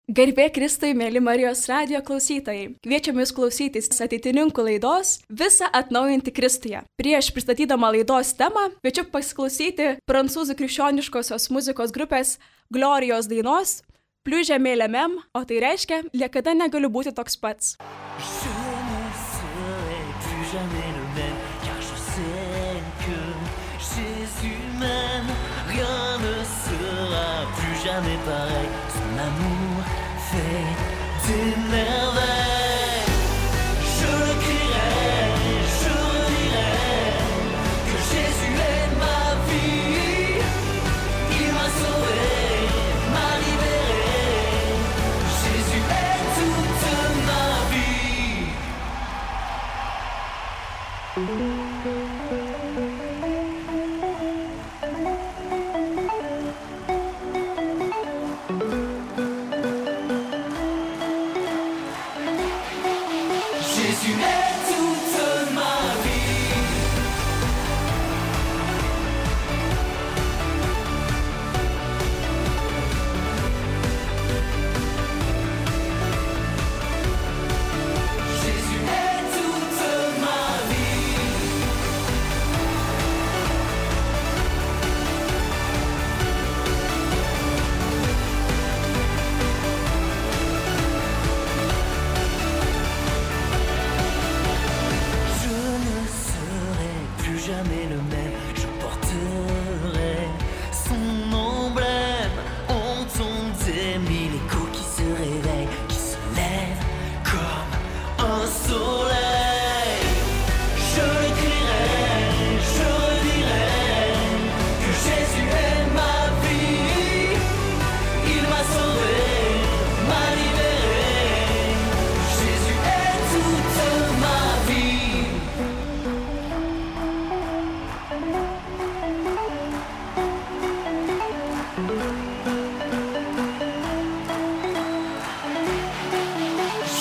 Garbė Kristui, mėly Marijos radijo klausytojai. Kviečiame jūs klausytis ateitininkų laidos Visa atnaujinti Kristuje. Prieš pristatydama laidos temą, kviečiu pasiklausyti prancūzų krikščioniškosios muzikos grupės Glorijos dainos Plus jamais le même, o tai reiškia, niekada negaliu būti toks pats. Jamais pareil, son amour fait des merveilles. Je le crierai, je redirai que Jésus est ma vie. Il m'a sauvé, m'a libéré. Jésus est toute ma vie. Jamais le même, je porterai son emblème. Entend des mille échos qui se réveillent, qui se lèvent comme un soleil. Je le crierai, je redirai que Jésus est ma vie. Il m'a sauvé, m'a libéré. Jésus est toute ma vie.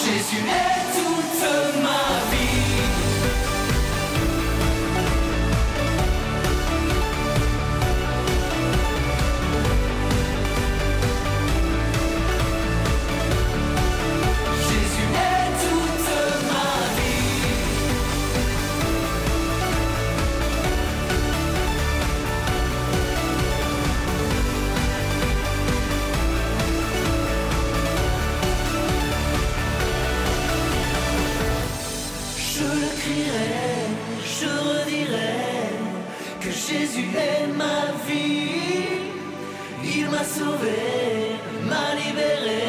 Jésus est toute ma vie. Jésus est toute ma vie. Je le crierai, je redirai que Jésus est ma vie. Il m'a sauvé, m'a libéré.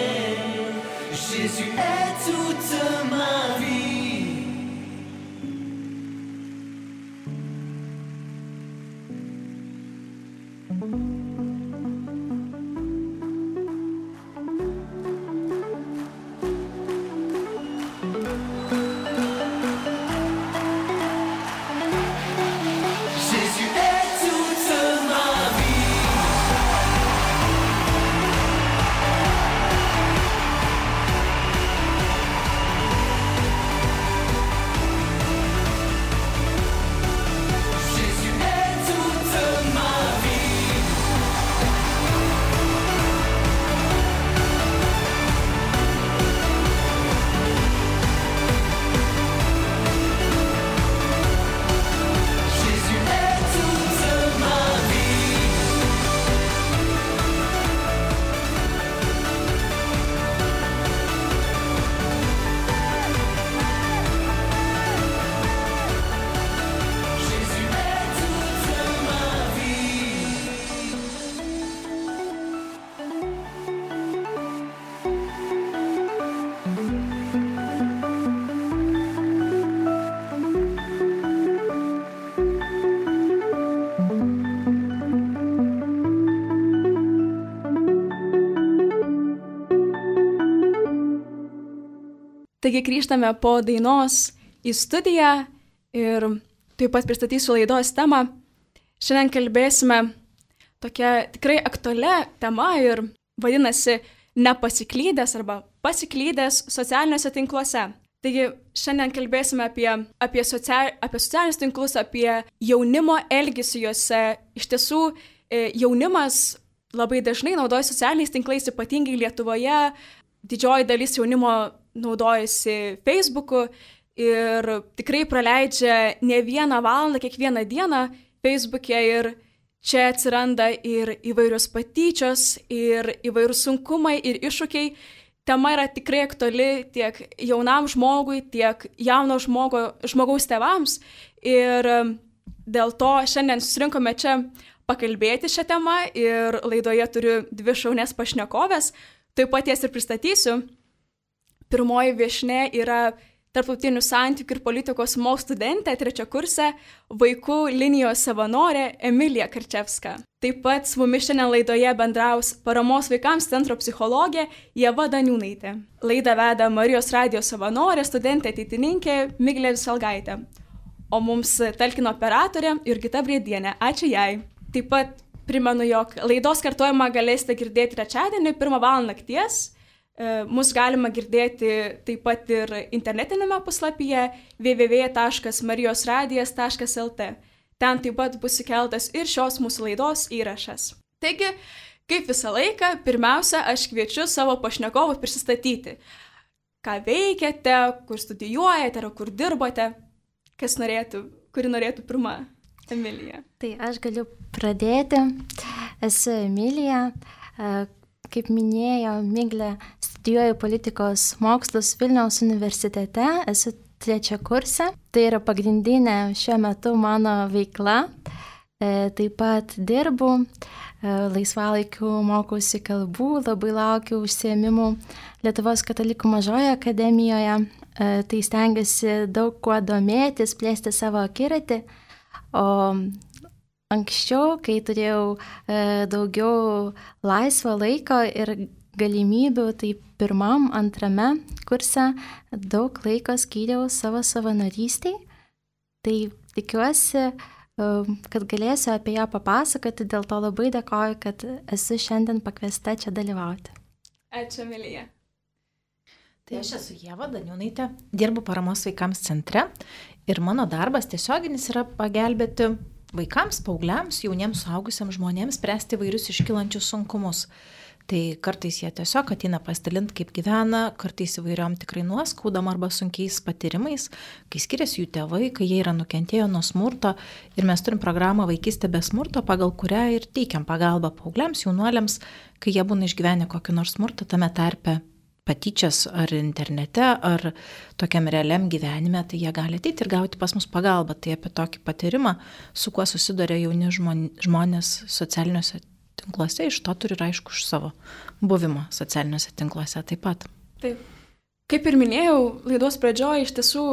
Jésus est toute ma vie. Jésus est toute ma vie. Jésus est toute ma vie. Jésus est toute ma vie. Jésus est toute ma vie. Taigi grįžtame po dainos į studiją ir taip pat pristatysiu laidos temą. Šiandien kalbėsime tokia tikrai aktualia tema ir vadinasi nepasiklydęs arba pasiklydęs socialiniuose tinkluose. Taigi šiandien kalbėsime apie socialinius tinklus, apie jaunimo elgesį juose. Iš tiesų, jaunimas labai dažnai naudoja socialiniais tinklais, ypatingai Lietuvoje, didžioji dalis jaunimo naudojasi Facebook'u ir tikrai praleidžia ne vieną valandą kiekvieną dieną Facebook'e ir čia atsiranda ir įvairios patyčios, ir įvairūs sunkumai, ir iššūkiai. Tema yra tikrai aktuali tiek jaunam žmogui, tiek jauno žmogaus tėvams. Ir dėl to šiandien susirinkome čia pakalbėti šią temą ir laidoje turiu 2 šaunias pašnekovės. Taip pat jas ir pristatysiu. Pirmoji viešnia yra tarptautinių santykių ir politikos mokslų studentė, 3 kurse, vaikų linijos savanorė Emilija Karčevska. Taip pat su mumis šiandien laidoje bendraus Paramos vaikams centro psichologė Ieva Daniūnaitė. Laidą veda Marijos radijos savanorė, studentė ateitininkė Miglė Visalgaitė. O mums talkino operatorė Jurgita Briedienė. Ačiū jai. Taip pat primenu, jog laidos kartojimą galėsite girdėti trečiadienį 1 val. Nakties. Mus galima girdėti taip pat ir internetinėme puslapyje www.marijosradijas.lt. Ten taip pat bus įkeltas ir šios mūsų laidos įrašas. Taigi, kaip visą laiką, pirmiausia, aš kviečiu savo pašnekovus prisistatyti. Ką veikiate, kur studijuojate, ar kur dirbote, kuri norėtų pirma, Emilija. Tai aš galiu pradėti. Esu Emilija. Kaip minėjo Miglė, studijuoju politikos mokslus Vilniaus universitete, esu 3 kurse. Tai yra pagrindinė šiuo metu mano veikla. Taip pat dirbu, laisvalaikiu mokausi kalbų, labai laukiu užsiėmimų Lietuvos katalikų mažojoje akademijoje. Tai stengiuosi daug kuo domėtis, plėsti savo akiratį. O anksčiau, kai turėjau daugiau laisvo laiko ir galimybių, tai 1, 2 kurse daug laiko skyriau savo savanorystiai. Tai tikiuosi, kad galėsiu apie ją papasakoti, dėl to labai dėkoju, kad esu šiandien pakviesta čia dalyvauti. Ačiū, Emilija. Tai aš esu Ieva Daniūnaitė, dirbu Paramos vaikams centre ir mano darbas tiesioginis yra pagelbėti vaikams, paaugliams, jauniems suaugusiams žmonėms spręsti vairius iškylančius sunkumus. Tai kartais jie tiesiog ateina pasidalinti, kaip gyvena, kartais įvairiom tikrai nuoskaudom arba sunkiais patyrimais, kai skiriasi jų tėvai, kai jie yra nukentėję nuo smurto. Ir mes turim programą Vaikystė be smurto, pagal kurią ir teikiam pagalbą paaugliams, jaunuoliams, kai jie būna išgyvenę kokį nors smurtą, tame tarpe patyčias ar internete, ar tokiam realiam gyvenime, tai jie gali ateiti ir gauti pas mus pagalbą. Tai apie tokį patyrimą, su kuo susiduria jauni žmonės socialiniuose tinkluose, iš to turi ir aišku iš savo buvimo socialiniuose tinkluose taip pat. Taip. Kaip ir minėjau, laidos pradžioje iš tiesų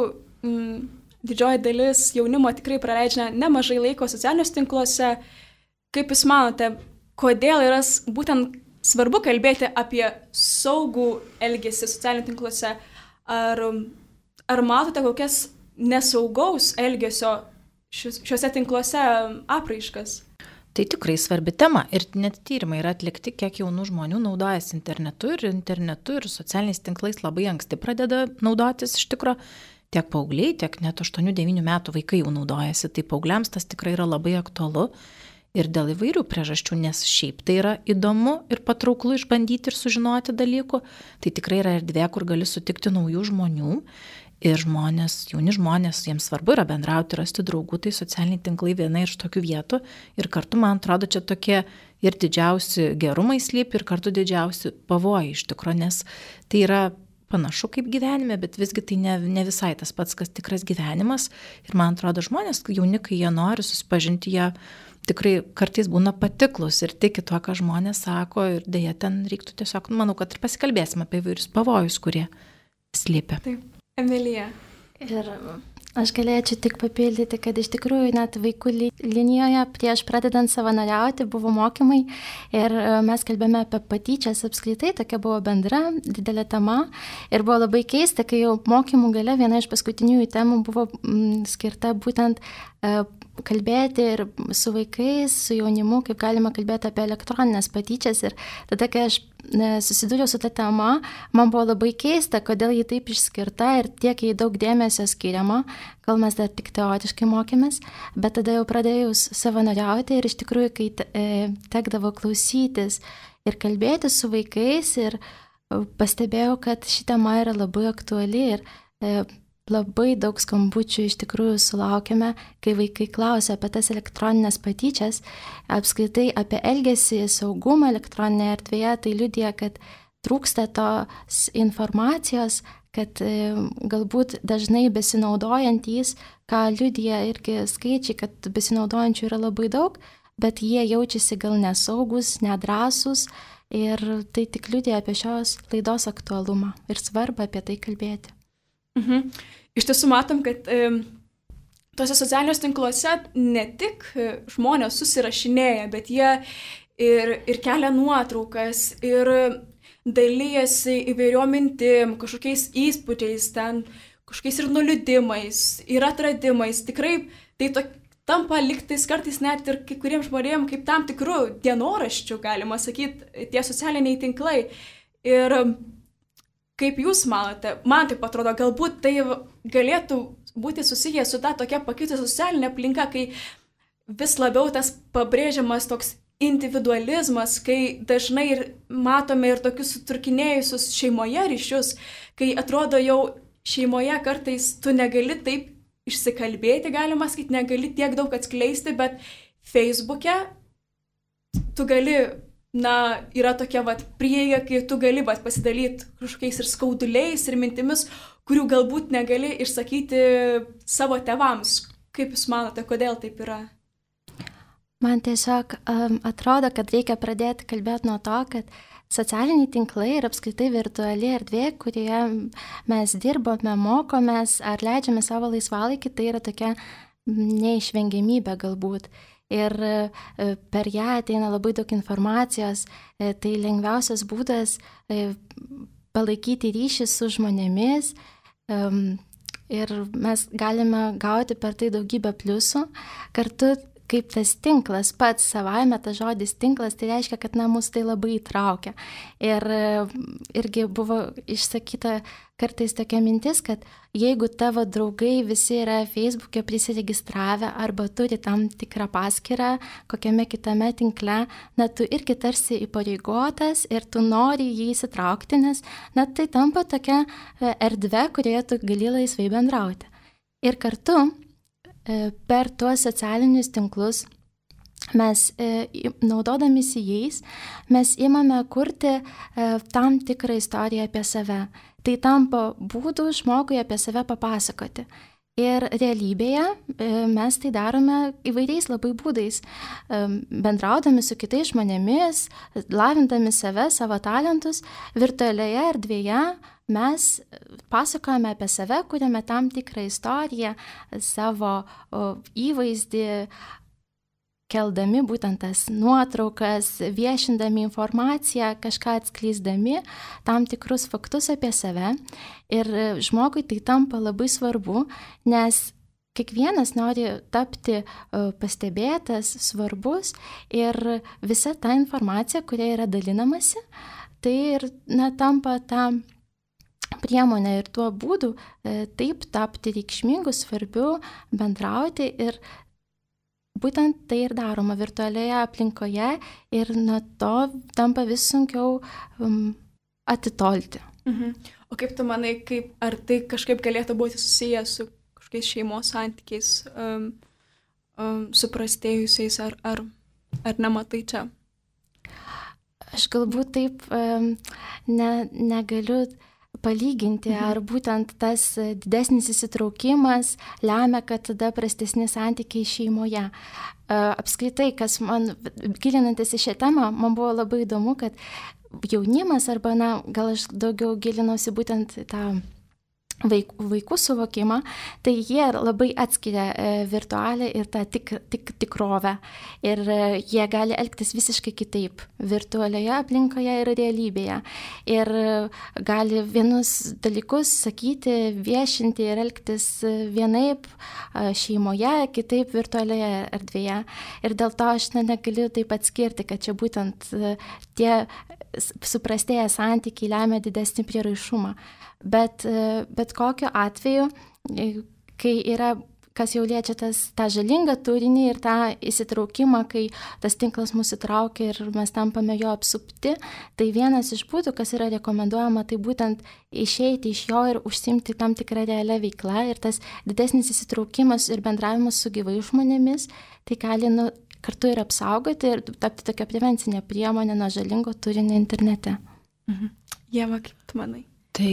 didžioji dalis jaunimo tikrai praleidžia nemažai laiko socialiniuose tinkluose. Kaip Jūs manote, kodėl yra būtent svarbu kalbėti apie saugų elgesį socialiniuose tinkluose? Ar matote kokias nesaugaus elgesio šiuose tinkluose apraiškas? Tai tikrai svarbi tema ir net tyrimai yra atlikti, kiek jaunų žmonių naudojasi internetu ir socialiniais tinklais labai anksti pradeda naudotis iš tikro. Tiek paaugliai, tiek net 8-9 metų vaikai jau naudojasi. Tai paaugliams tas tikrai yra labai aktualu. Ir dėl įvairių priežasčių, nes šiaip tai yra įdomu ir patrauklu išbandyti ir sužinoti dalykų. Tai tikrai yra erdvė, kur gali sutikti naujų žmonių. Ir jauni žmonės, jiems svarbu yra bendrauti, rasti draugų, tai socialiniai tinklai viena iš tokių vietų. Ir kartu, man atrodo, čia tokie ir didžiausi gerumai slypi, ir kartu didžiausi pavojai iš tikro, nes tai yra panašu kaip gyvenime, bet visgi tai ne visai tas pats, kas tikras gyvenimas. Ir man atrodo, žmonės, jauni, kai jie nori susipažinti, jie tikrai kartais būna patiklus ir tiki tuo, ką žmonės sako, ir dėja ten reiktų tiesiog, manau, kad ir pasikalbėsime apie įvairius pavojus, kurie slypi. Taip, Emilija. Ir aš galėčiau tik papildyti, kad iš tikrųjų net vaikų linijoje prieš pradedant savanoriauti buvo mokymai ir mes kalbėjome apie patyčias apskritai, tokia buvo bendra, didelė tema ir buvo labai keista, kai jau mokymų gale viena iš paskutiniųjų temų buvo skirta būtent kalbėti ir su vaikais, su jaunimu, kaip galima kalbėti apie elektroninės patyčias. Ir tada, kai aš susidūriau su ta tema, man buvo labai keista, kodėl ji taip išskirta ir tiek jai daug dėmesio skiriama, gal mes dar tik teoriškai mokėmės, bet tada jau pradėjau savanoriauti ir iš tikrųjų, kai tekdavo klausytis ir kalbėti su vaikais ir pastebėjau, kad ši tema yra labai aktuali ir labai daug skambučių iš tikrųjų sulaukėme, kai vaikai klausia apie tas elektroninės patyčias, apskritai apie elgesį, saugumą elektroninėje erdvėje, tai liudija, kad trūksta tos informacijos, kad galbūt dažnai besinaudojantys, ką liudija irgi skaičiai, kad besinaudojančių yra labai daug, bet jie jaučiasi gal nesaugus, nedrąsus ir tai tik liudija apie šios laidos aktualumą ir svarbą apie tai kalbėti. Iš tiesų matom, kad tuose socialiniuose tinkluose ne tik žmonės susirašinėja, bet jie ir kelia nuotraukas, ir dalyjasi įvairiom mintim, kažkokiais įspūdžiais, ten kažkokiais ir nuliūdimais, ir atradimais. Tikrai tai tampa liktais kartais net ir kai kuriems žmonėms kaip tam tikrų dienoraščių, galima sakyti, tie socialiniai tinklai. Ir kaip jūs manote, man taip atrodo, galbūt tai galėtų būti susiję su ta tokia pakitusi socialinė aplinka, kai vis labiau tas pabrėžiamas toks individualizmas, kai dažnai ir matome ir tokius sutrūkinėjusius šeimoje ryšius, kai atrodo jau šeimoje kartais tu negali taip išsikalbėti, galima sakyti, negali tiek daug atskleisti, bet Facebook'e tu gali, yra tokia prieiga, kai tu gali pasidalyti kažkokiais ir skauduliais, ir mintimis, kurių galbūt negali išsakyti savo tėvams. Kaip jūs manote, kodėl taip yra? Man tiesiog atrodo, kad reikia pradėti kalbėti nuo to, kad socialiniai tinklai ir apskritai virtuali erdvė, kurioje mes dirbame, mokomės ar leidžiame savo laisvalaikį, tai yra tokia neišvengiamybė galbūt. Ir per ją ateina labai daug informacijos, tai lengviausias būdas palaikyti ryšį su žmonėmis ir mes galime gauti per tai daugybę pliusų. Kartu kaip tas tinklas pats savaime, tas žodis tinklas, tai reiškia, kad mus tai labai įtraukia. Ir irgi buvo išsakyta kartais tokia mintis, kad jeigu tavo draugai visi yra Facebook'e prisiregistravę arba turi tam tikrą paskyrą kokiame kitame tinkle, tu irgi tarsi įpareigotas ir tu nori jį įsitraukti, nes tai tampa tokia erdvė, kurioje tu gali laisvai bendrauti. Ir kartu per tuos socialinius tinklus mes, naudodamisi jais, mes imame kurti tam tikrą istoriją apie save. Tai tampa būdų žmogui apie save papasakoti. Ir realybėje mes tai darome įvairiais labai būdais, bendraudami su kitais žmonėmis, lavindami save, savo talentus, virtualioje erdvėje mes pasakojame apie save, kuriame tam tikrą istoriją, savo įvaizdį, keldami būtent tas nuotraukas, viešindami informaciją, kažką atskleisdami, tam tikrus faktus apie save. Ir žmogui tai tampa labai svarbu, nes kiekvienas nori tapti pastebėtas, svarbus ir visa ta informacija, kuria yra dalinamasi, tai ir tampa ta priemonė ir tuo būdu taip tapti reikšmingu, svarbiu, bendrauti ir būtent tai ir daroma virtualioje aplinkoje ir nuo to tampa vis sunkiau atitolti. O kaip tu manai, ar tai kažkaip galėtų būti susijęs su kažkokiais šeimos santykiais suprastėjusiais, ar nematai čia? Aš galbūt taip negaliu palyginti, ar būtent tas didesnis įsitraukimas lemia, kad tada prastesni santykiai šeimoje. Apskritai, kas man, gilinantis į šią temą, man buvo labai įdomu, kad jaunimas, arba, gal aš daugiau gilinausi būtent tą vaikų suvokimą, tai jie labai atskiria virtualią ir tą tikrovę. Ir jie gali elgtis visiškai kitaip virtualioje aplinkoje ir realybėje. Ir gali vienus dalykus sakyti, viešinti ir elgtis vienaip šeimoje, kitaip virtualioje erdvėje. Ir dėl to aš negaliu taip atskirti, kad čia būtent tie suprastėję santykiai lemia didesnį prieraišumą. Bet kokiu atveju, kai yra kas jau liečia tą žalingą turinį ir tą įsitraukimą, kai tas tinklas mus įtraukia ir mes tampame jo apsupti, tai vienas iš būdų, kas yra rekomenduojama, tai būtent išeiti iš jo ir užsimti tam tikrą realią veiklą ir tas didesnis įsitraukimas ir bendravimas su gyvai žmonėmis, tai gali kartu ir apsaugoti ir tapti tokia prevencinė priemonė nuo žalingo turinio internete. Ieva, kaip tu manai? Tai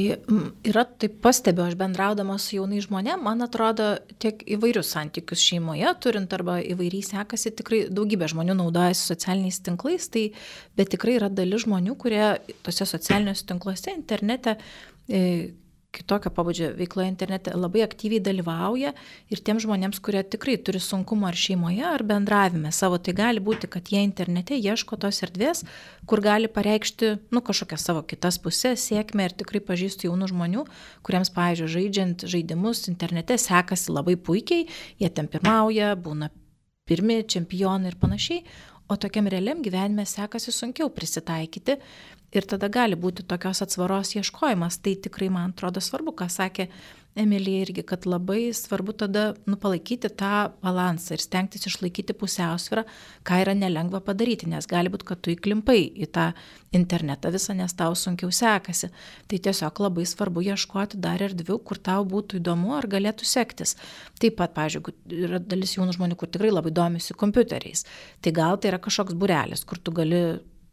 yra, taip pastebiu, aš bendraudama su jaunai žmonėm, man atrodo, tiek įvairius santykius šeimoje turint arba įvairiai sekasi, tikrai daugybė žmonių naudojasi socialiniais tinklais, bet tikrai yra dalis žmonių, kurie tose socialiniuose tinkluose, internete, kitokio pabudžio veikloje internete labai aktyviai dalyvauja ir tiem žmonėms, kurie tikrai turi sunkumų ar šeimoje, ar bendravime savo, tai gali būti, kad jie internete ieško tos erdvės, kur gali pareikšti, kažkokią savo kitas pusės, sėkmę ir tikrai pažįstu jaunų žmonių, kuriems, pavyzdžiui, žaidžiant žaidimus internete sekasi labai puikiai, jie ten pirmauja, būna pirmi čempionai ir panašiai, o tokiam realiam gyvenime sekasi sunkiau prisitaikyti. Ir tada gali būti tokios atsvaros ieškojimas. Tai tikrai, man atrodo, svarbu, ką sakė Emilija irgi, kad labai svarbu tada palaikyti tą balansą ir stengtis išlaikyti pusiausvyrą, ką yra nelengva padaryti, nes gali būti, kad tu įklimpai į tą internetą visą, nes tau sunkiau sekasi. Tai tiesiog labai svarbu ieškoti dar erdvių, kur tau būtų įdomu ar galėtų sektis. Taip pat, pavyzdžiui, yra dalis jaunų žmonių, kur tikrai labai domisi kompiuteriais. Tai gal tai yra kažkoks būrelis, kur tu gali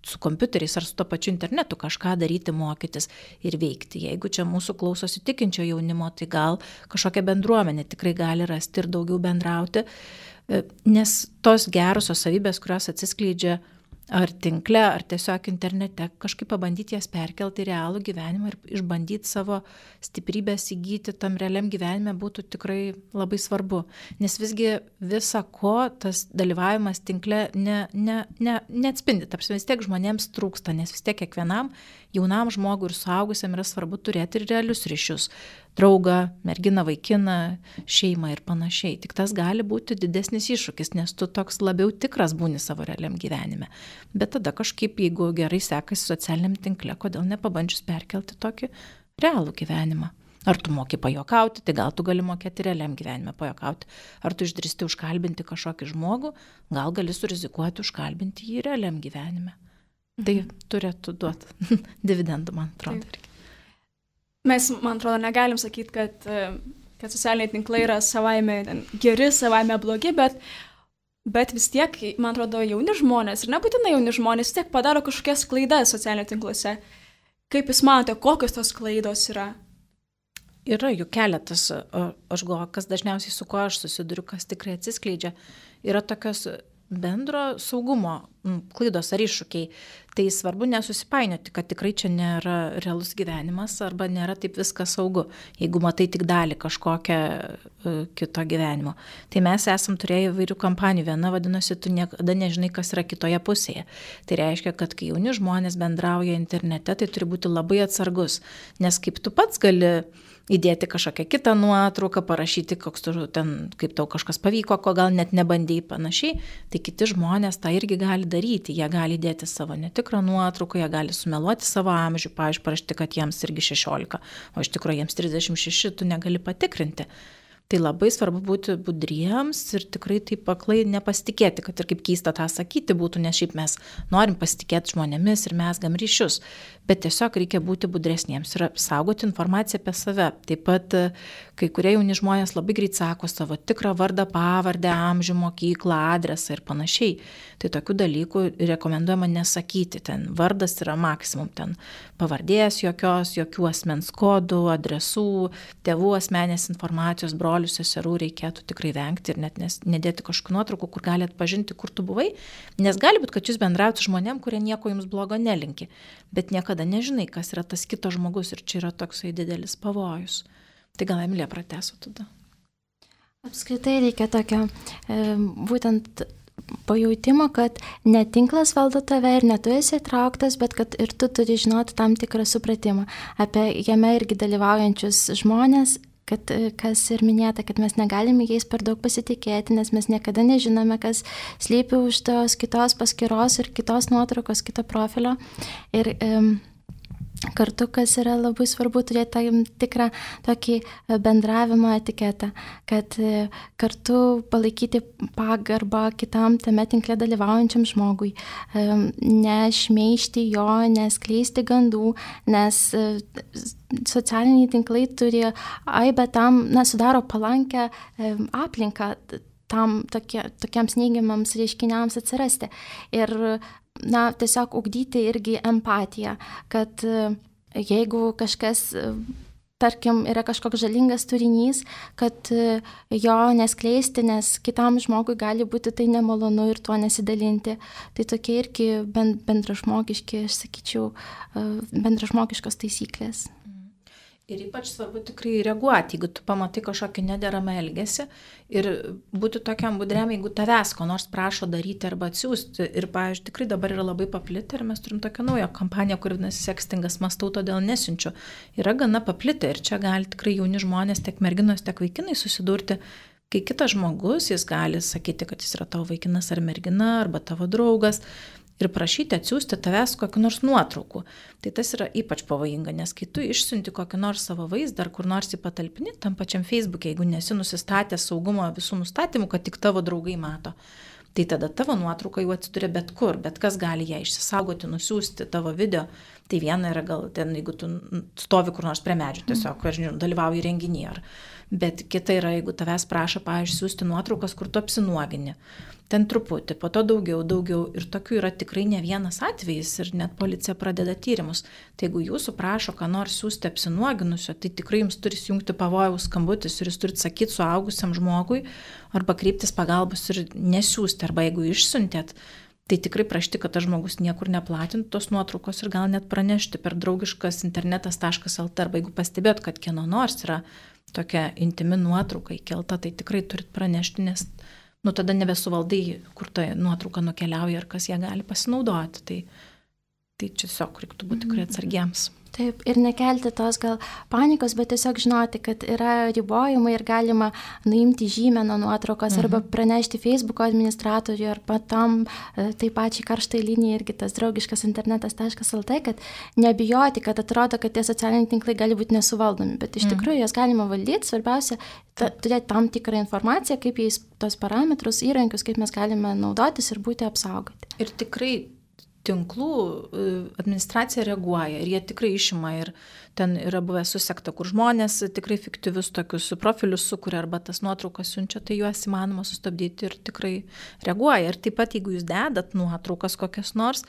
su kompiuteriais ar su to pačiu internetu kažką daryti, mokytis ir veikti. Jeigu čia mūsų klausosi tikinčio jaunimo, tai gal kažkokia bendruomenė tikrai gali rasti ir daugiau bendrauti, nes tos gerosios savybės, kurios atsiskleidžia ar tinkle, ar tiesiog internete, kažkaip pabandyti jas perkelti į realų gyvenimą ir išbandyti savo stiprybės įgyti tam realiam gyvenime būtų tikrai labai svarbu. Nes visgi visa ko tas dalyvavimas tinkle neatspindi. Tarsi vis tiek žmonėms trūksta, nes vis tiek kiekvienam jaunam žmogui ir suaugusiam yra svarbu turėti ir realius ryšius. Draugą, merginą, vaikiną, šeimą ir panašiai. Tik tas gali būti didesnis iššūkis, nes tu toks labiau tikras būni savo realiam gyvenime. Bet tada kažkaip, jeigu gerai sekasi socialiniam tinkle, kodėl nepabandžius perkelti tokį realų gyvenimą? Ar tu moki pajokauti, tai gal tu gali mokėti realiam gyvenime pajokauti. Ar tu išdrįsti užkalbinti kažkokį žmogų, gal gali surizikuoti užkalbinti jį realiam gyvenime. Tai turėtų duoti dividendų, man atrodo. Mes, man atrodo, negalim sakyti, kad socialiniai tinklai yra savaime geri, savaime blogi, bet vis tiek, man atrodo, jauni žmonės, ir nebūtinai jauni žmonės, vis tiek padaro kažkokias klaidas socialiniai tinkluose. Kaip jūs manote, kokios tos klaidos yra? Yra jų keletas, aš galvoju, kas dažniausiai su kuo aš susiduriu, kas tikrai atsiskleidžia, yra tokios bendro saugumo klaidos ar iššūkiai. Tai svarbu nesusipainioti, kad tikrai čia nėra realus gyvenimas arba nėra taip viskas saugu, jeigu matai tik dalį kažkokią kito gyvenimo. Tai mes esam turėję įvairių kampanijų. Viena vadinosi, tu niekada nežinai, kas yra kitoje pusėje. Tai reiškia, kad kai jauni žmonės bendrauja internete, tai turi būti labai atsargus, nes kaip tu pats gali įdėti kažkokią kitą nuotrauką, parašyti, kaip tau kažkas pavyko, ko gal net nebandėjai panašiai, tai kiti žmonės tą irgi gali daryti. Jie gali įdėti savo netikrą nuotrauką, jie gali sumeluoti savo amžių, pavyzdžiui, parašyti, kad jiems irgi 16, o iš tikrųjų jiems 36, tu negali patikrinti. Tai labai svarbu būti budriems ir tikrai taip aklai nepasitikėti, kad ir kaip keista tą sakyti būtų, nes šiaip mes norim pasitikėti žmonėmis ir mezgam ryšius, bet tiesiog reikia būti budresniems ir saugoti informaciją apie save. Taip pat kai kurie jauni žmonės labai greit sako savo tikrą vardą, pavardę, amžių, mokyklą, adresą ir panašiai. Tai tokių dalykų rekomenduojama nesakyti. Ten vardas yra maksimum, ten pavardės jokių asmens kodų, adresų, tėvų asmenės informacijos, brolių, seserų reikėtų tikrai vengti ir net nedėti kažkokių nuotraukų, kur gali atpažinti, kur tu buvai, nes gali būti, kad jūs bendraujate su žmonėm, kurie nieko jums blogo nelinki, bet niekada nežinai, kas yra tas kitas žmogus ir čia yra toksai didelis pavojus. Tai gal Emilija pratęsų tada. Apskritai reikia tokio būtent pajautimo, kad ne tinklas valdo tave ir ne tu esi įtrauktas, bet kad ir tu turi žinoti tam tikrą supratimą apie jame irgi dalyvaujančius žmonės, kad kas ir minėta, kad mes negalime jais per daug pasitikėti, nes mes niekada nežinome, kas slypi už tos kitos paskyros ir kitos nuotraukos, kito profilio. Ir Kartu, kas yra labai svarbu, turėti tam tikrą tokį bendravimo etiketą, kad kartu palaikyti pagarbą kitam tame tinkle dalyvaujančiam žmogui, nešmeižti jo, neskleisti gandų, nes socialiniai tinklai turi aibę tam, sudaro palankę aplinką tam tokiems neigiamams reiškiniams atsirasti. Ir tiesiog ugdyti irgi empatiją, kad jeigu kažkas, tarkim, yra kažkoks žalingas turinys, kad jo neskleisti, nes kitam žmogui gali būti tai nemalonu ir tuo nesidalinti. Tai tokie irgi bendražmogiški, aš sakyčiau, bendražmogiškos taisyklės. Ir ypač svarbu tikrai reaguoti, jeigu tu pamatai kažkokį nederamą elgesį ir būti tokiam budriam, jeigu tavęs ko nors prašo daryti arba atsiųsti. Ir, pavyzdžiui, tikrai dabar yra labai paplitę ir mes turim tokią naują kampaniją, kuri vadinasi Sextingas, mąstau, todėl nesiunčiu. Yra gana paplitę ir čia gali tikrai jauni žmonės, tiek merginos, tiek vaikinai susidurti, kai kitas žmogus, jis gali sakyti, kad jis yra tavo vaikinas ar mergina, arba tavo draugas, ir prašyti atsiųsti tavęs kokių nors nuotraukų. Tai tas yra ypač pavojinga, nes kai tu išsiunti kokį nors savo vaizdą ar kur nors į patalpinį, tam pačiam Facebook'e, jeigu nesi nusistatęs saugumo visų nustatymų, kad tik tavo draugai mato, tai tada tavo nuotrauka jau atsiduria bet kur, bet kas gali ją išsisaugoti, nusiųsti tavo video. Tai viena yra gal ten, jeigu tu stovi kur nors prie medžių, tiesiog, aš žinau, dalyvauji renginyje. Bet kita yra, jeigu tavęs prašo, pavyzdžiui, siūsti nuotraukas, kur tu apsinuogini. Ten truputį, po to daugiau ir tokių yra tikrai ne vienas atvejis ir net policija pradeda tyrimus. Tai jeigu jūsų prašo, ką nors siūsti apsinuoginusio, tai tikrai jums turi įjungti pavojaus skambutis ir jūs turite sakyti suaugusiam žmogui arba kreiptis pagalbos ir nesiųsti, arba jeigu išsiuntėt, tai tikrai prašyti, kad tas žmogus niekur neplatintų tos nuotraukos ir gal net pranešti per draugiškas internetas.lt, arba jeigu pastebėt, kad kieno nors yra tokia intimi nuotrauka įkelta, tai tikrai turit pranešti, nes tada nebesuvaldai, kur ta nuotrauka nukeliauja ir kas ją gali pasinaudoti. Tai čia tiesiog reiktų būti tikrai atsargiems. Taip, ir nekelti tos gal panikos, bet tiesiog žinoti, kad yra ribojimai ir galima nuimti žymę nuo nuotraukos arba pranešti Facebook'o administratoriui arba tam taip pačiai karštai linijai irgi tas draugiškas internetas.lt, kad nebijoti, kad atrodo, kad tie socialiniai tinklai gali būti nesuvaldomi, bet iš tikrųjų jas galima valdyti, svarbiausia turėti tam tikrą informaciją, kaip jais tos parametrus, įrankius, kaip mes galime naudotis ir būti apsaugoti. Ir tikrai tinklų administracija reaguoja ir jie tikrai išima ir ten yra buvę susekta, kur žmonės tikrai fiktyvius tokius profilius sukuria arba tas nuotraukas siunčia, tai juos įmanoma sustabdyti ir tikrai reaguoja. Ir taip pat, jeigu jūs dedat nuotraukas kokias nors,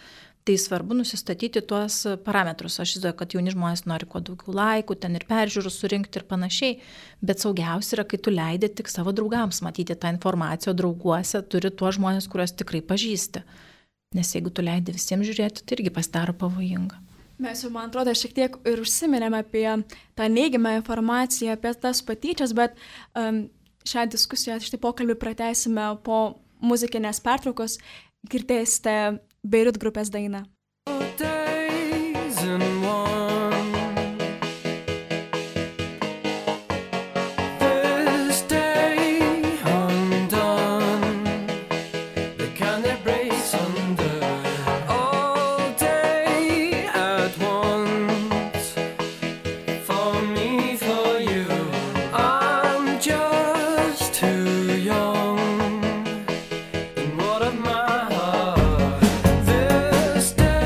tai svarbu nusistatyti tuos parametrus. Aš žinau, kad jauni žmonės nori kuo daugiau laikų, ten ir peržiūrų surinkti ir panašiai, bet saugiausia yra, kai tu leidi tik savo draugams matyti tą informaciją, drauguose turi tuos žmonės, kuriuos tikrai pažįsti. Nes jeigu tu leidi visiems žiūrėti, tai irgi pasidaro pavojinga. Mes jau, man atrodo, šiek tiek ir užsiminėme apie tą neigiamą informaciją, apie tas patyčias, bet šią diskusiją, šitą pokalbį pratęsime po muzikinės pertraukos. Girdėsite Beirut grupės dainą. This day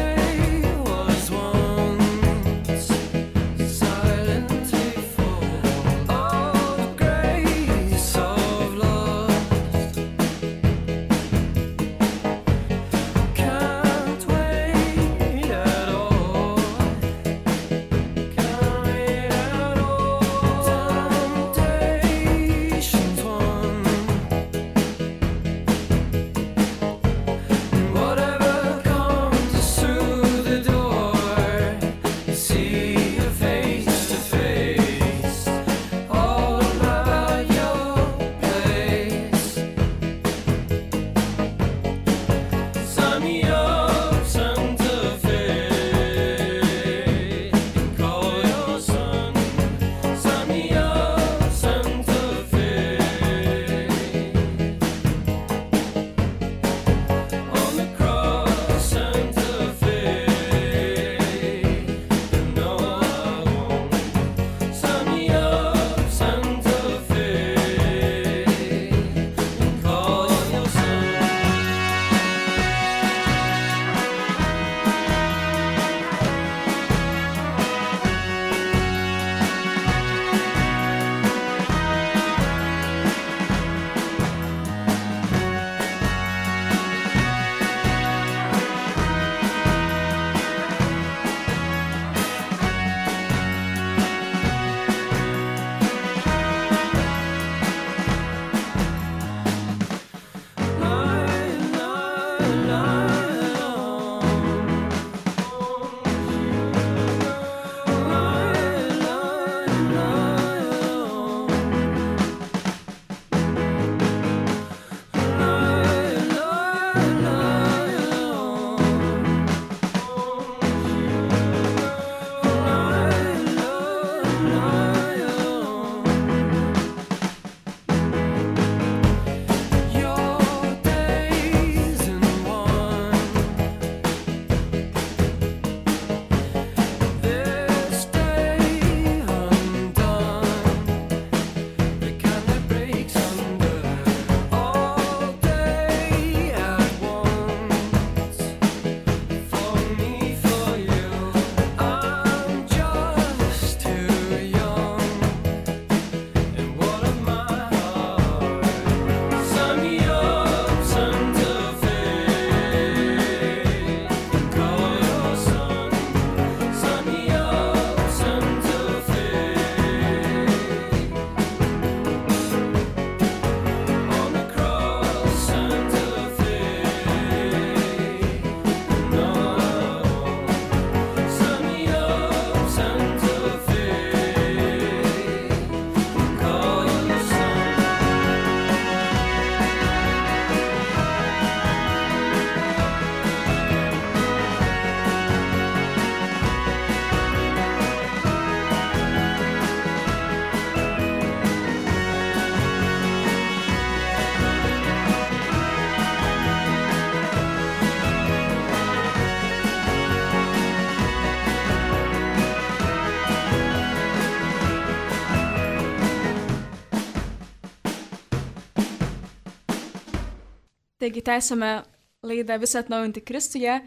Taigi tęsime laidą Visą atnaujinti Kristuje.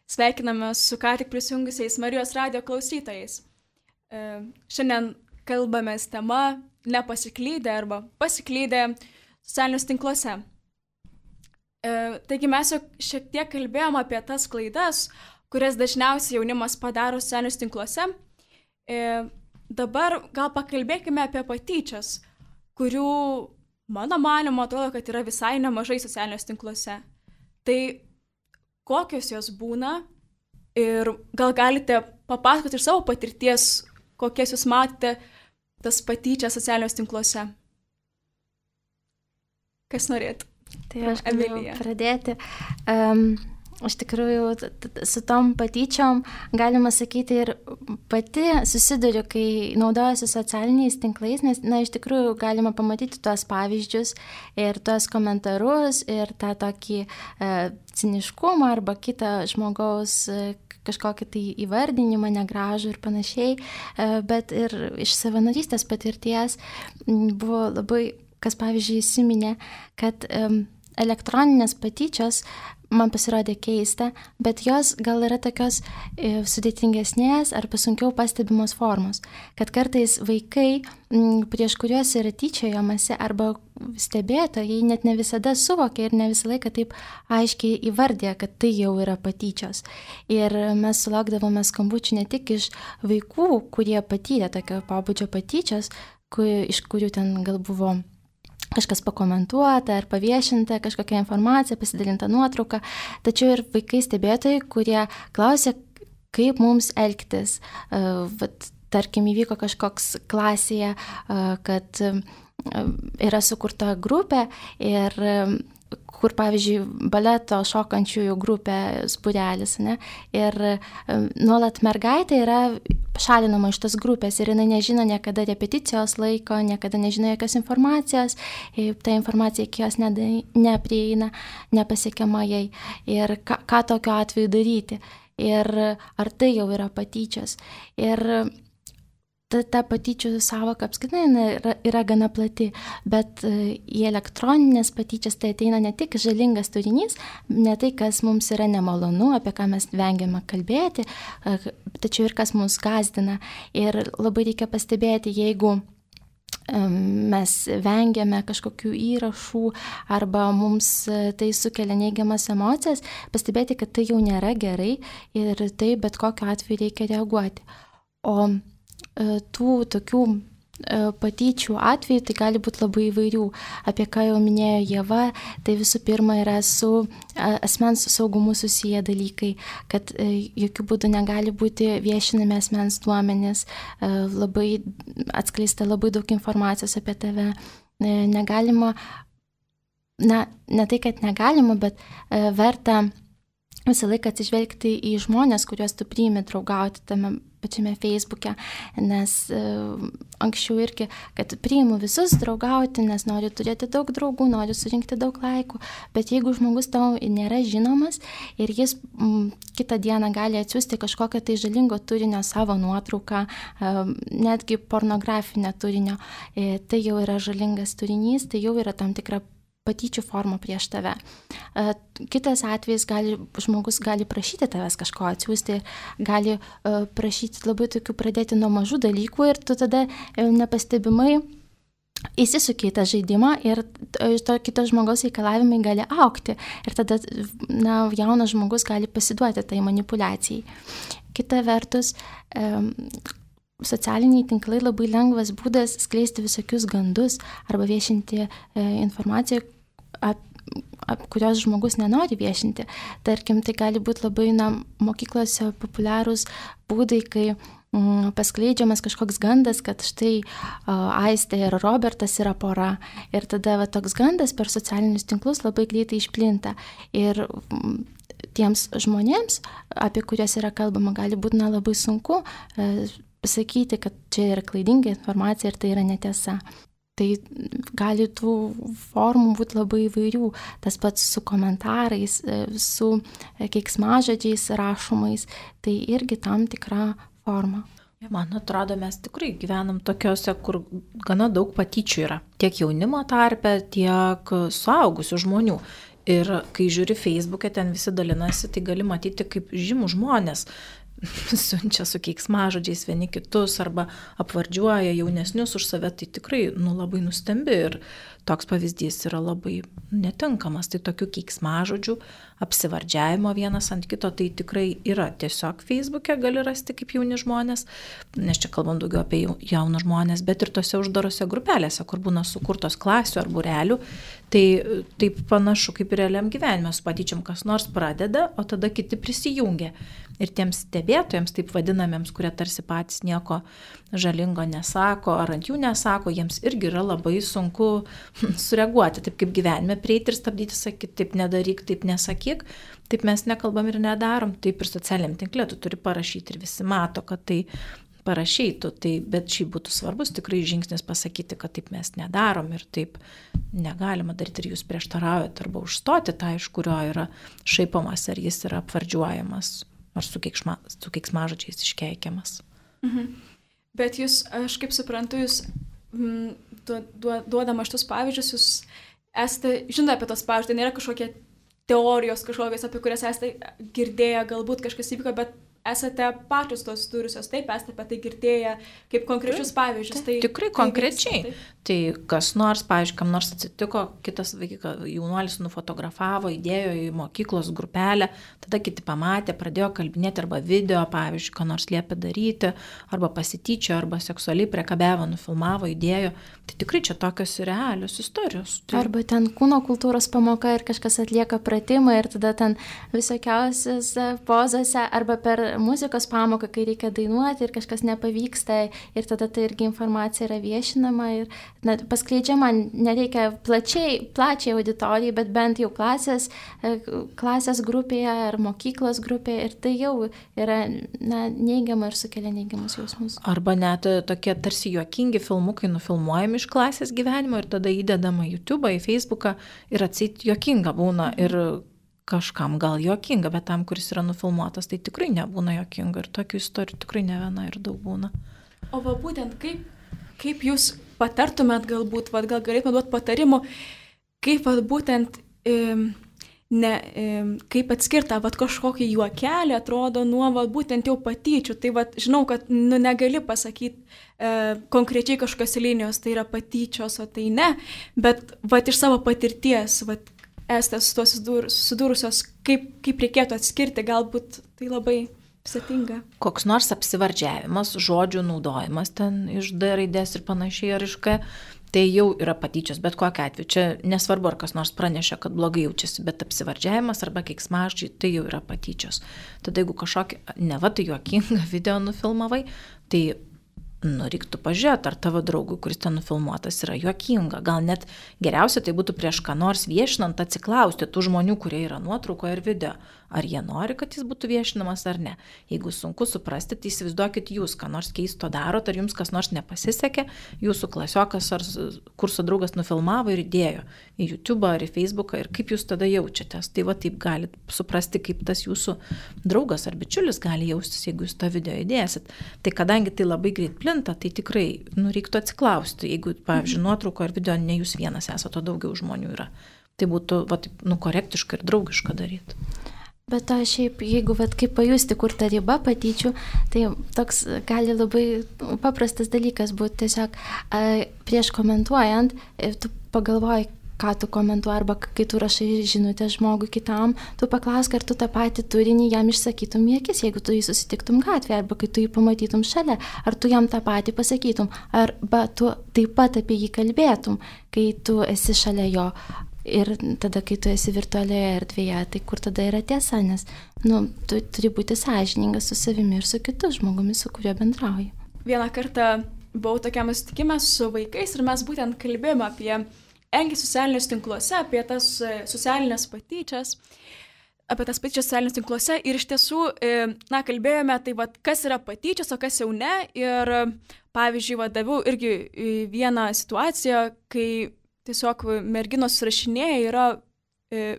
Sveikiname su ką tik prisijungusiais Marijos radijo klausytojais. Šiandien kalbamės tema nepasiklydę arba pasiklydę socialiniuose tinkluose. Taigi mes jau šiek tiek kalbėjom apie tas klaidas, kurias dažniausiai jaunimas padaro socialiniuose tinkluose. Dabar gal pakalbėkime apie patyčias, kurių, mano manymu, atrodo, kad yra visai nemažai socialiniuose tinkluose. Tai kokios jos būna ir gal galite papasakoti iš savo patirties, kokias jūs matėte tas patyčias socialiniuose tinkluose? Kas norėtų? Tai aš galiu pradėti. Iš tikrųjų, su tom patyčiom galima sakyti ir pati susiduriu, kai naudojasi socialiniais tinklais, nes, iš tikrųjų galima pamatyti tuos pavyzdžius ir tuos komentarus ir tą tokį ciniškumą arba kitą žmogaus kažkokį tai įvardinimą negražų ir panašiai, bet ir iš savanorystės patirties buvo labai, kas pavyzdžiui įsiminė, kad elektroninės patyčios man pasirodė keista, bet jos gal yra tokios sudėtingesnės arba sunkiau pastebimos formos, kad kartais vaikai, prieš kuriuos yra tyčiojamasi arba stebėtojai, net ne visada suvokia ir ne visą laiką taip aiškiai įvardė, kad tai jau yra patyčios. Ir mes sulaukdavome skambučių ne tik iš vaikų, kurie patyrė tokio pobūdžio patyčios, iš kurių ten gal buvo kažkas pakomentuota ar paviešinta, kažkokia informacija, pasidalinta nuotrauka, tačiau ir vaikai stebėtojai, kurie klausė, kaip mums elgtis. Tarkim, įvyko kažkoks klasėje, kad yra sukurta grupė ir kur, pavyzdžiui, baleto šokančiųjų grupės būrelis, ne? Ir nuolat mergaitė yra šalinama iš tos grupės ir jinai nežino niekada repeticijos laiko, niekada nežino jokios informacijos, ta informacija iki jos neprieina, nepasiekiama jai. Ir ką tokiu atveju daryti? Ir ar tai jau yra patyčios? Ir ta patyčių sąvoka apskritai yra gana plati, bet į elektroninės patyčias tai ateina ne tik žalingas turinys, ne tai, kas mums yra nemalonu, apie ką mes vengiame kalbėti, tačiau ir kas mus gąsdina. Ir labai reikia pastebėti, jeigu mes vengiame kažkokių įrašų arba mums tai sukelia neigiamas emocijas, pastebėti, kad tai jau nėra gerai ir tai bet kokiu atveju reikia reaguoti. O tų tokių patyčių atveju tai gali būti labai įvairių. Apie ką jau minėjo Ieva, tai visų pirma yra su asmens saugumu susiję dalykai, kad jokių būdų negali būti viešinami asmens duomenys, labai atskleista labai daug informacijos apie tave. Negalima, ne tai, kad negalima, bet verta visą laiką atsižvelgti į žmonės, kuriuos tu priimi draugauti tame pačiame Facebook'e, nes anksčiau irgi, kad priimu visus draugauti, nes noriu turėti daug draugų, noriu surinkti daug laikų, bet jeigu žmogus tau nėra žinomas ir jis kitą dieną gali atsiųsti kažkokią tai žalingo turinio savo nuotrauką, netgi pornografinio turinio, tai jau yra žalingas turinys, tai jau yra tam tikra patyčių formą prieš tave. Kitas atvejis, žmogus gali prašyti tavęs kažko atsiųsti, gali prašyti labai tokių pradėti nuo mažų dalykų ir tu tada nepastebimai įsisuki į tą žaidimą ir to kito žmogaus reikalavimai gali augti ir tada jaunas žmogus gali pasiduoti tai manipuliacijai. Kita vertus, socialiniai tinklai labai lengvas būdas skleisti visokius gandus arba viešinti informaciją, kurios žmogus nenori viešinti. Tarkim, tai gali būti labai mokyklose populiarūs būdai, kai paskleidžiamas kažkoks gandas, kad štai Aistė ir Robertas yra pora. Ir tada toks gandas per socialinius tinklus labai greitai išplinta. Ir tiems žmonėms, apie kuriuos yra kalbama, gali būti labai sunku pasakyti, kad čia yra klaidinga informacija ir tai yra netiesa. Tai gali tų formų būti labai įvairių. Tas pats su komentarais, su keiksmažodžiais rašomais, tai irgi tam tikra forma. Man atrodo, mes tikrai gyvenam tokiuose, kur gana daug patyčių yra. Tiek jaunimo tarpe, tiek suaugusių žmonių. Ir kai žiūri Facebook'e, ten visi dalinasi, tai gali matyti, kaip žymų žmonės siunčia su keiksmažodžiais vieni kitus arba apvardžiuoja jaunesnius už save, tai tikrai labai nustembi ir toks pavyzdys yra labai netinkamas. Tai tokių keiksmažodžių, apsivardžiavimo vienas ant kito, tai tikrai yra. Tiesiog Facebook'e gali rasti kaip jauni žmonės, nes čia kalbam daugiau apie jaunus žmonės, bet ir tose uždarose grupelėse, kur būna sukurtos klasių ar būrelių, tai taip panašu kaip ir realiam gyvenime, su patyčiom kas nors pradeda, o tada kiti prisijungia. Ir tiems stebėtojams, taip vadinamiems, kurie tarsi patys nieko žalingo nesako ar ant jų nesako, jiems irgi yra labai sunku sureaguoti, taip kaip gyvenime, prieiti ir stabdyti, sakyti, taip nedaryk, taip nesakyk, taip mes nekalbam ir nedarom, taip ir socialiniam tinkle tu turi parašyti ir visi mato, kad tai parašytų, tai, bet šiaip būtų svarbus tikrai žingsnis pasakyti, kad taip mes nedarom ir taip negalima daryti ir jūs prieštaraujate arba užstoti tą, iš kurio yra šaipomas, ar jis yra apvardžiuojamas, ar su keiksmažodžiais iškeikiamas. Bet jūs, aš kaip suprantu, jūs duodama šitus pavyzdžius, jūs esate, žinote apie tos pavyzdžius, tai nėra kažkokie teorijos kažkokios, apie kurias esate girdėję, galbūt kažkas įvyko, bet esate pačios tos turusios, taip, esate apie tai girdėję kaip konkrečius pavyzdžius. Tai, tikrai konkrečiai. Tai kas nors, pavyzdžiui, kam nors atsitiko, kitas jaunuolis nufotografavo, įdėjo į mokyklos grupelę, tada kiti pamatė, pradėjo kalbinėti arba video, pavyzdžiui, ką nors liepė daryti, arba pasityčio, arba seksualiai priekabiavo, nufilmavo, įdėjo. Tai tikrai čia tokios realios istorijos. Tai... Arba ten kūno kultūros pamoka ir kažkas atlieka pratimą ir tada ten visokiausias pozose, arba per muzikos pamoką, kai reikia dainuoti ir kažkas nepavyksta ir tada tai irgi informacija yra viešinama ir paskleidžiama, nereikia plačiai auditorijai, bet bent jau klasės grupėje ar mokyklos grupėje ir tai jau yra neigiama ir sukelia neigiamus jausmus. Arba net tokie tarsi juokingi filmukai nufilmuojami iš klasės gyvenimo ir tada įdedama į YouTube'ą, į Facebook'ą ir atseit juokinga būna ir kažkam gal juokinga, bet tam, kuris yra nufilmuotas, tai tikrai nebūna juokinga ir tokių istorijų tikrai ne viena ir daug būna. O va būtent kaip jūs patartumėt galbūt, gal galėtumėt duoti patarimų, kaip būtent kaip atskirta kažkokį juokelį atrodo nuo būtent jau patyčių. Tai žinau, kad negali pasakyti konkrečiai kažkokios linijos, tai yra patyčios, o tai ne, bet iš savo patirties, esate su tuo susidūrusios, kaip reikėtų atskirti, galbūt tai labai sėtinga. Koks nors apsivardžiavimas, žodžių naudojimas ten iš D raidės ir panašiai ar iš K, tai jau yra patyčios, bet kokiu atveju. Čia nesvarbu, ar kas nors pranešė, kad blogai jaučiasi, bet apsivardžiavimas arba keiksmažodžiai, tai jau yra patyčios. Tada jeigu kažkokį, tai juokingą video nufilmavai, tai reiktų pažiūrėti, ar tavo draugui, kuris ten nufilmuotas, yra juokinga. Gal net geriausia tai būtų prieš ką nors viešinant atsiklausti tų žmonių, kurie yra nuotraukoje ir video. Ar jie nori, kad jis būtų viešinamas ar ne. Jeigu sunku suprasti, tai įsivaizduokit jūs, ką nors keisto darot, ar jums kas nors nepasisekė, jūsų klasiokas ar kurso draugas nufilmavo ir įdėjo į YouTube'ą ar į Facebook'ą ir kaip jūs tada jaučiatės. Tai taip galit suprasti, kaip tas jūsų draugas ar bičiulis gali jaustis, jeigu jūs tą video įdėsit. Tai kadangi tai labai greit plinta, tai tikrai reiktų atsiklausti, jeigu, pavyzdžiui, nuotrauko ar video ne jūs vienas esate, o daugiau žmonių yra. Tai būtų korektiška ir draugiška daryti. Bet to šiaip, jeigu kaip pajusti, kur ta riba patyčių, tai toks gali labai paprastas dalykas būti tiesiog prieš komentuojant, tu pagalvoji, ką tu komentuoji, arba kai tu rašai žinutę žmogui kitam, tu paklausk, ar tu tą patį turinį jam išsakytum į akis, jeigu tu jį susitiktum gatvėje, arba kai tu jį pamatytum šalia, ar tu jam tą patį pasakytum, arba tu taip pat apie jį kalbėtum, kai tu esi šalia jo. Ir tada, kai tu esi virtualioje erdvėje, tai kur tada yra tiesa, nes tu turi būti sąžiningas su savimi ir su kitu žmogumi, su kuriuo bendrauji. Vieną kartą buvau tokiam susitikime su vaikais ir mes būtent kalbėjome apie elgesį socialiniuose tinkluose, apie tas socialinės patyčias, socialiniuose tinkluose ir iš tiesų, kalbėjome, tai kas yra patyčios, o kas jau ne. Ir pavyzdžiui, daviau irgi vieną situaciją, kai tiesiog merginos rašinėja, yra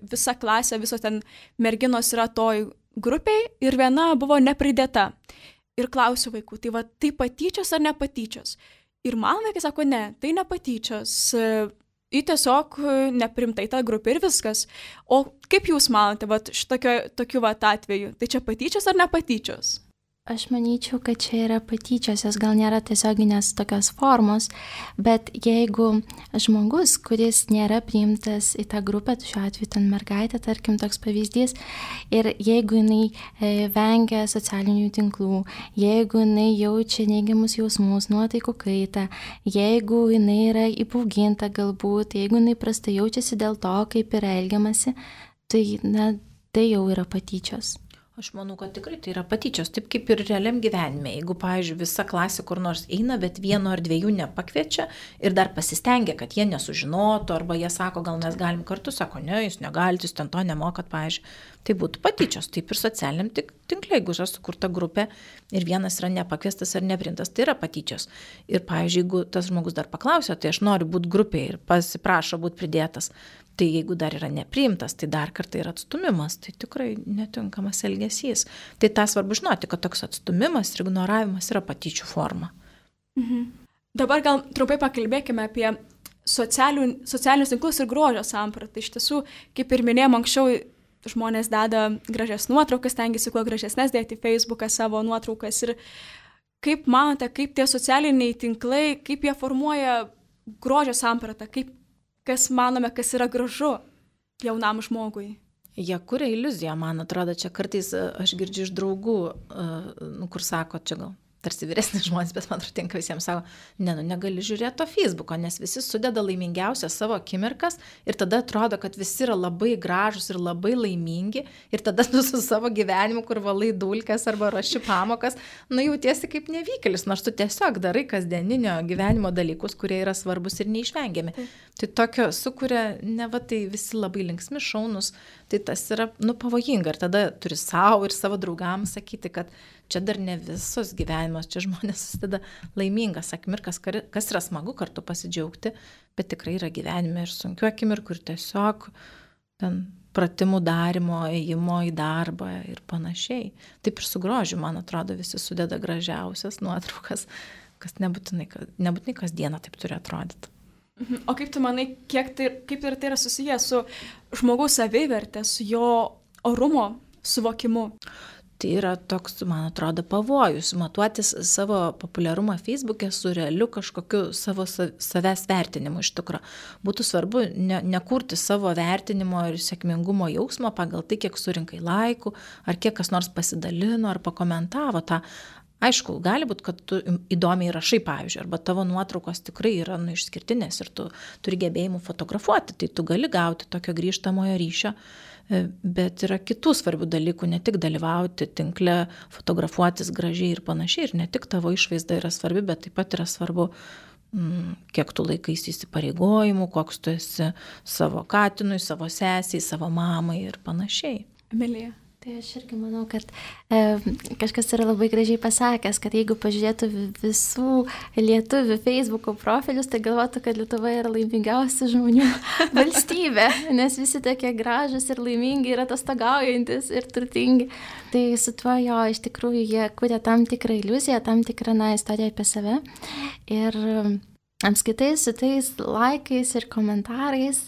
visa klasė, visos ten merginos yra toj grupiai ir viena buvo nepridėta. Ir klausiu vaikų, tai patyčios ar nepatyčios? Ir man vaikai sako, ne, tai nepatyčios. į tiesiog neprimtai tą grupę ir viskas. O kaip jūs manote, vat, tokiu vat atveju, tai čia patyčios ar ne patyčios? Aš manyčiau, kad čia yra patyčios, jos gal nėra tiesioginės tokios formos, bet jeigu žmogus, kuris nėra priimtas į tą grupę, šiuo atveju ten mergaitė, tarkim, toks pavyzdys, ir jeigu jinai vengia socialinių tinklų, jeigu jinai jaučia neigiamus jausmus, nuotaikų kaitą, jeigu jinai yra įbauginta galbūt, jeigu jinai prastai jaučiasi dėl to, kaip yra elgiamasi, tai, tai jau yra patyčios. Aš manau, kad tikrai tai yra patyčios, taip kaip ir realiam gyvenime. Jeigu, pavyzdžiui, visa klasė kur nors eina, bet vieno ar dviejų nepakviečia ir dar pasistengia, kad jie nesužinotų, arba jie sako, gal mes galim kartu, sako, ne, jūs negalite, jūs ten to nemokat, pavyzdžiui, tai būtų patyčios. Taip ir socialiniam tinkle, jeigu yra sukurta grupė ir vienas yra nepakviestas ar neprintas, tai yra patyčios. Ir, pavyzdžiui, jeigu tas žmogus dar paklausė, tai aš noriu būti grupėje ir pasiprašo būti pridėtas, tai jeigu dar yra nepriimtas, tai dar kartą yra atstumimas, tai tikrai netinkamas elgesys. Tai tą svarbu žinoti, kad toks atstumimas ir ignoravimas yra patyčių forma. Dabar gal trumpai pakalbėkime apie socialinius tinklus ir grožio sampratą. Iš tiesų, kaip ir minėjom anksčiau, žmonės deda gražias nuotraukas, stengiasi kuo gražesnės dėti į Facebooką savo nuotraukas. Ir kaip manote, kaip tie socialiniai tinklai, kaip jie formuoja grožio sampratą, kas manome, kas yra gražu jaunam žmogui? Jie kuria iliuziją, man atrodo, čia kartais aš girdžiu iš draugų, kur sako, čia gal tarsi vyresnis žmonės, bet man atrodo, visiems sako, negali žiūrėti to Facebooko, nes visi sudeda laimingiausias savo akimirkas ir tada atrodo, kad visi yra labai gražus ir labai laimingi ir tada tu su savo gyvenimu, kur valai dulkes arba raši pamokas, jautiesi kaip nevykėlis, nors tu tiesiog darai kasdieninio gyvenimo dalykus, kurie yra svarbus ir neišvengiami. Tai tokio sukuria, tai visi labai linksmi, šaunus, tai tas yra pavojinga ir tada turi savo ir savo draugams sakyti, kad čia dar ne visos gyvenimas, čia žmonės susideda laimingas akimirkas, kas yra smagu kartu pasidžiaugti, bet tikrai yra gyvenime ir sunkių akimirkų ir tiesiog ten pratimų darimo, ėjimo į darbą ir panašiai. Taip ir su grožiu, man atrodo, visi sudeda gražiausias nuotraukas, kas nebūtinai kasdieną taip turi atrodyti. O kaip tu manai, kaip ir tai yra susijęs su žmogaus savivertė, su jo orumo suvokimu? Tai yra toks, man atrodo, pavojus, matuotis savo populiarumą Facebook'e su realiu kažkokiu savo savęs vertinimu iš tikro. Būtų svarbu nekurti savo vertinimo ir sėkmingumo jausmo pagal tai, kiek surinkai laikų, ar kiek kas nors pasidalino, ar pakomentavo tą. Aišku, gali būti, kad tu įdomiai rašai, pavyzdžiui, arba tavo nuotraukos tikrai yra išskirtinės ir tu turi gebėjimų fotografuoti, tai tu gali gauti tokio grįžtamojo ryšio, bet yra kitų svarbių dalykų, ne tik dalyvauti tinkle, fotografuotis gražiai ir panašiai, ir ne tik tavo išvaizda yra svarbi, bet taip pat yra svarbu, kiek tu laikaisi įsipareigojimų, koks tu esi savo katinui, savo sesiai, savo mamai ir panašiai. Emilija. Tai aš irgi manau, kad kažkas yra labai gražiai pasakęs, kad jeigu pažiūrėtų visų lietuvių Facebook'o profilius, tai galvotų, kad Lietuva yra laimingiausia žmonių valstybė, nes visi tokie gražus ir laimingi ir atostogaujantis ir turtingi. Tai su tuo jo, iš tikrųjų, jie kuria tam tikrą iliuziją, tam tikrą istoriją apie save. Ir apskaitai su tais laikais ir komentarais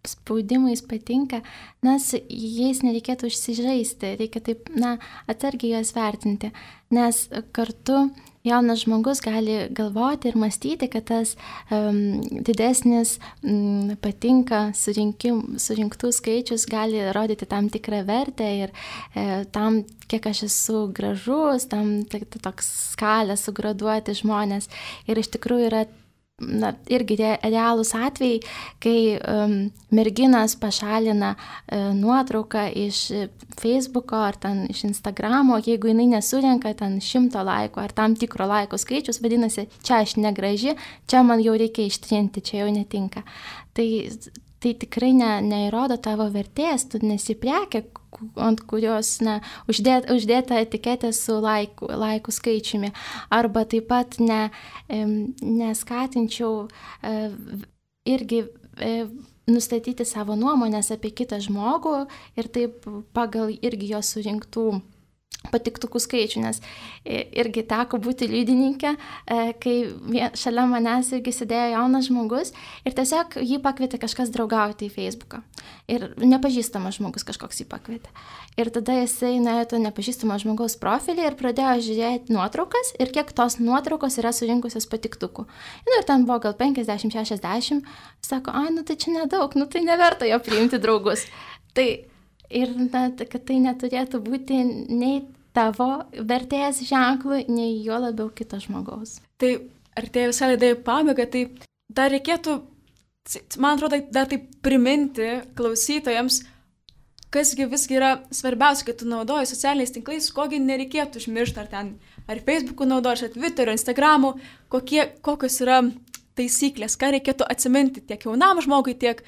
spaudimais patinka, nes jais nereikėtų užsižaisti, reikia taip, atsargiai juos vertinti, nes kartu jaunas žmogus gali galvoti ir mąstyti, kad tas didesnis patinka surinktų skaičius gali rodyti tam tikrą vertę ir tam, kiek aš esu gražus, tam toks skalę sugraduoti žmonės. Ir iš tikrųjų yra irgi realūs atvejai, kai merginas pašalina nuotrauką iš Facebook'o ar ten iš Instagramo, jeigu jinai nesurenka ten 100 laikų ar tam tikro laikų skaičius, vadinasi, čia aš negraži, čia man jau reikia ištrinti, čia jau netinka. Tai tikrai neįrodo tavo vertės, tu nesi prekė, ant kurios uždėta etiketė su laikų skaičiumi. Arba taip pat neskatinčiau irgi nustatyti savo nuomonės apie kitą žmogų ir taip pagal irgi jo surinktų patiktukų skaičių, nes irgi teko būti liudininkė, kai šalia manęs irgi sėdėjo jaunas žmogus ir tiesiog jį pakvietė kažkas draugauti į Facebooką. Ir nepažįstamas žmogus kažkoks jį pakvietė. Ir tada jisai nuėjo to nepažįstamo žmogaus profilį ir pradėjo žiūrėti nuotraukas ir kiek tos nuotraukos yra surinkusios patiktukų. Ir ten buvo gal 50-60, sako, nu tai čia nedaug, nu tai neverta jo priimti draugus. Tai ir kad tai neturėtų būti nei tavo vertės ženklų, nei jo labiau kito žmogaus. Tai artėja visą laidą į pabaigą, tai dar reikėtų, man atrodo, dar taip priminti klausytojams, kasgi visgi yra svarbiausia, kad tu naudoji socialiniais tinklais, kogi nereikėtų užmiršti, ar Facebook'u naudoji, ar Twitter'u, Instagram'u, kokios yra taisyklės, ką reikėtų atsiminti tiek jaunam žmogui, tiek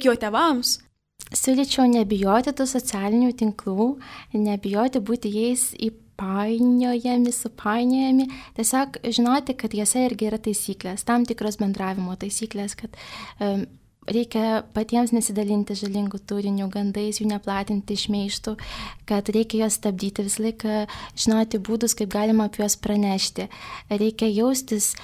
jo tėvams. Siūlyčiau nebijoti tų socialinių tinklų, nebijoti būti jais supainiojami, tiesiog žinoti, kad jose irgi yra taisyklės, tam tikros bendravimo taisyklės, kad reikia patiems nesidalinti žalingų turinių, gandais, jų neplatinti šmeižtų, kad reikia juos stabdyti, visą laiką žinoti būdus, kaip galima apie juos pranešti. Reikia jaustis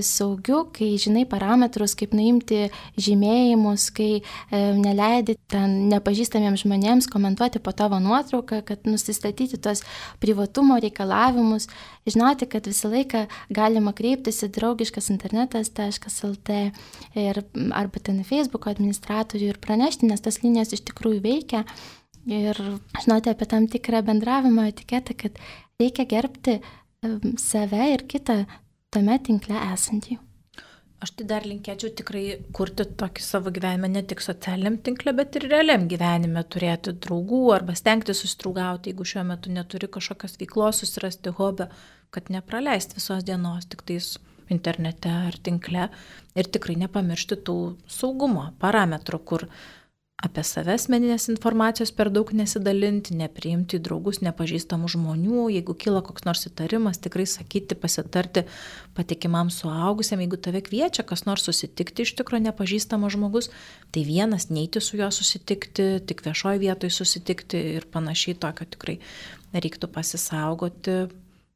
saugiu, kai žinai parametrus, kaip nuimti žymėjimus, kai neleidi ten nepažįstamiems žmonėms komentuoti po tavo nuotrauką, kad nusistatyti tos privatumo reikalavimus, žinoti, kad visą laiką galima kreiptis į draugiškasinternetas.lt arba ten Facebook administratorių ir pranešti, nes tas linijos iš tikrųjų veikia ir žinoti apie tam tikrą bendravimo etiketą, kad reikia gerbti save ir kitą tame tinkle esantį. Aš tai dar linkėčiau tikrai kurti tokį savo gyvenimą ne tik socialiniam tinkle, bet ir realiam gyvenime turėti draugų arba stengti susidraugauti, jeigu šiuo metu neturi kažkokios veiklos, susirasti hobio, kad nepraleisti visos dienos tik tais internete ar tinkle ir tikrai nepamiršti tų saugumo parametrų, kur apie save asmeninės informacijos per daug nesidalinti, nepriimti į draugus nepažįstamų žmonių, jeigu kyla koks nors įtarimas, tikrai sakyti, pasitarti patikimam suaugusiam, jeigu tave kviečia kas nors susitikti iš tikro nepažįstamas žmogus, tai vienas neiti su juo susitikti, tik viešoje vietoje susitikti ir panašiai tokio tikrai reiktų pasisaugoti.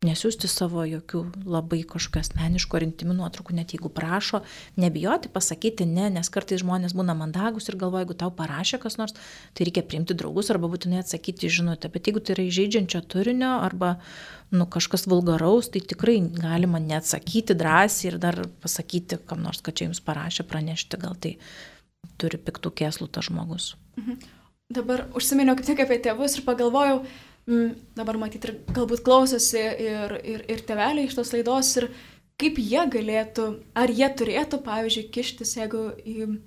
Nesiųsti savo jokių labai kažkokių asmeniškų ar intimių nuotraukų, net jeigu prašo, nebijoti pasakyti ne, nes kartais žmonės būna mandagus ir galvoja, jeigu tau parašė kas nors, tai reikia priimti draugus arba būtinai atsakyti žinutę, bet jeigu tai yra įžeidžiančio turinio arba kažkas vulgaraus, tai tikrai galima neatsakyti drąsiai ir dar pasakyti kam nors, kad čia jums parašė, pranešti, gal tai turi piktų kėslų tas žmogus. Dabar užsiminiau kaip tik apie tėvus ir pagalvojau, dabar matyti ir galbūt klausosi ir tėveliai iš tos laidos ir kaip jie galėtų, ar jie turėtų, pavyzdžiui, kištis, jeigu į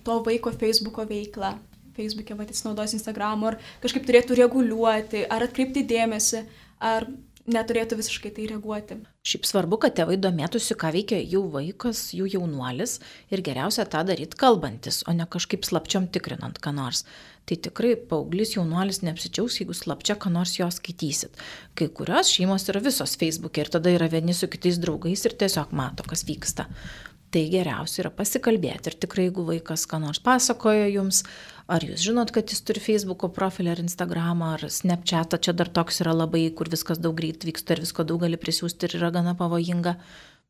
to vaiko Facebook'o veiklą, Facebook'e jis naudos Instagram'u, ar kažkaip turėtų reguliuoti, ar atkreipti dėmesį, ar neturėtų visiškai tai reaguoti. Šiaip svarbu, kad tėvai domėtųsi, ką veikia jų vaikas, jų jaunuolis ir geriausia tą daryti kalbantis, o ne kažkaip slapčiom tikrinant ką nors. Tai tikrai paauglys jaunuolis neapsičiaus, jeigu slapčia ką nors jo skaitysit. Kai kurios šeimos yra visos Facebook'e ir tada yra vieni su kitais draugais ir tiesiog mato, kas vyksta. Tai geriausia yra pasikalbėti ir tikrai, jeigu vaikas ką nors pasakoja jums, ar jūs žinot, kad jis turi Facebook'o profilį ar Instagramą ar Snapchat'ą, čia dar toks yra labai, kur viskas daug greit vyksta ir visko daug gali prisiųsti ir yra gana pavojinga,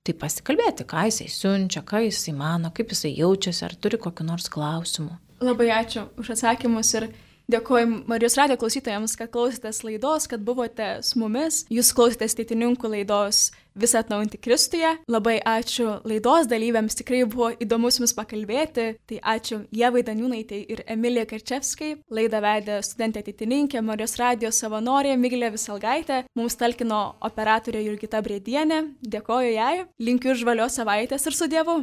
tai pasikalbėti, ką jisai siunčia, ką jisai mano, kaip jisai jaučiasi, ar turi kokių nors klausimų. Labai ačiū už atsakymus ir dėkoju Marijos radijo klausytojams, kad klausėtės laidos, kad buvote su mumis. Jūs klausėtės Teitininkų laidos Visą atnaujinti Kristuje. Labai ačiū laidos dalyviams, tikrai buvo įdomu su jumis pakalbėti. Tai ačiū Ievai Daniūnaitei ir Emilijai Karčevskai. Laidą vedė studentė teitininkė, Marijos radijo savanorė Miglė Visalgaitė. Mums talkino operatorė Jurgita Brėdienė. Dėkoju jai. Linkiu žvalios savaitės ir su Dievu.